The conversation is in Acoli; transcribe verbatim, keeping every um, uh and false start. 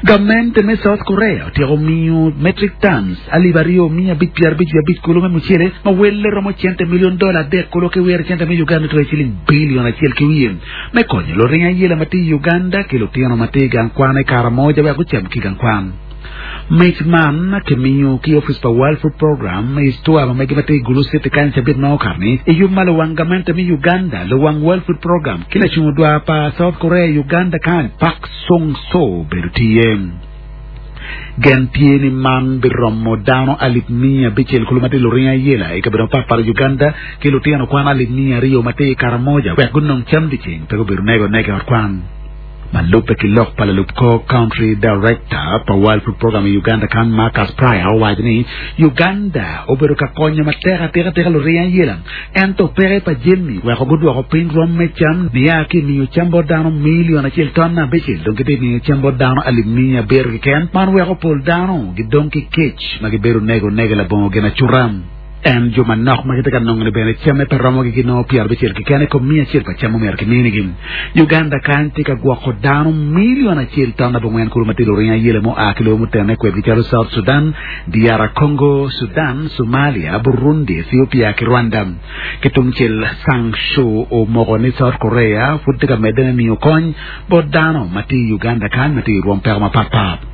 Gamente me South Korea otyeko miyo metric tons alip aryo miya abic pyera abic wiye abic kulu me mucele ma welle romo cente milion dola adek kulu ki wiro cente me Uganda tye ciling bilion acel ki wiye me konyo luring ayela ma tye i Uganda ki lutino ma tye i gang kwan i Karamoja wek gucam ki gang kwan. Mic man kimiyo ki office pa World Food Program i store ma mege ma tye i Gulu City kany cabit ma okato-ni i yub ma luwang gamente me Uganda, luwang World Food Program ki lacungo dwar pa South Korea i Uganda kany Park Sung-soo obedo tye iye. Gen tye ni man biromo dano alip miya abicel kulu ma tye luring ayela i kabedo mapatpat i Uganda ki lutino kwan alip miya aryo ma tye i Karamoja wek gunong cam dyeceng pe gubedo nego nege i ot kwan. Ma lubbe ki lok pa lalub kor Country Director pa World Food Program i Uganda kan Marcus Pryor owaco ni Uganda obedo ka konyo matek atika atika luring ayela ento peke pa jami weko gudwoko piny rwom me cam nia ki miyo cam bot dano milion acel tonna abicel dong gitye miyo cam bot dano alip miya abiro keken man weko pol dano gidong ki kec ma gibedo nego nege labongo ginacuta. En jo manok ma gitye ka nongo ni bene camme pe romogi ginongo pyera abicel keken i kom miya acel pa cam omyero kiminigi. Uganda kany tye ka gwoko dano milion acel ton abongwen kulu ma tye luring ayela mua ki lobo mutene kwedgi calo South Sudan, D R Congo, Sudan, Somalia, Burundi, Ethiopia ki Rwanda. Ki tungcel, Sang-soo omoko ni South Korea pud tye ka medde me miyo kony bot dano ma tye i Uganda kany ma tye i rwom peko mapatpat.